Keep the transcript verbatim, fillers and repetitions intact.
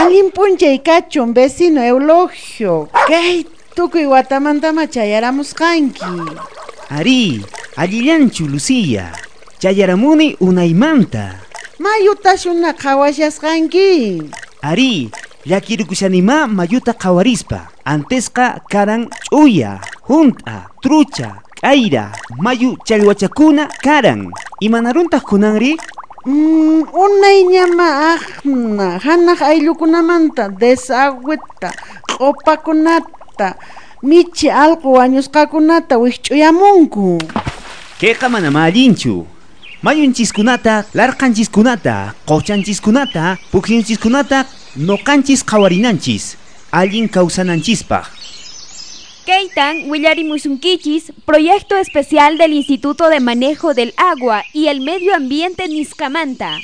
Allin p'unchay kachun vecino Eulogio. Kay tukuy watamantama chayaramusqanki. Ari, allillanchu Lucía. Chayaramuni unaymanta. Mayutashuna qhawashasqanki. Ari, llakirukushanima mayuta qhawarispa. Antesqa karan ch'uya, junt'a, trucha, k'ayra, mayu challwachakuna karan. Imanaruntaq kunanri? Mm, unayñama aqna hanaq ayllukunamanta desagüeta, q'upakunata, michi allqu wañusqakunata wikch'uyamunku. Kayqa manama allinchu. Mayunchiskunata, larqanchiskunata, quchanchiskunata, pukllunchishkunata noqanchis qhawarinanchis, allin kawsananchispaq. Keitan willarimusunkichis, proyecto especial del Instituto de Manejo del Agua y el Medio Ambiente Niscamanta.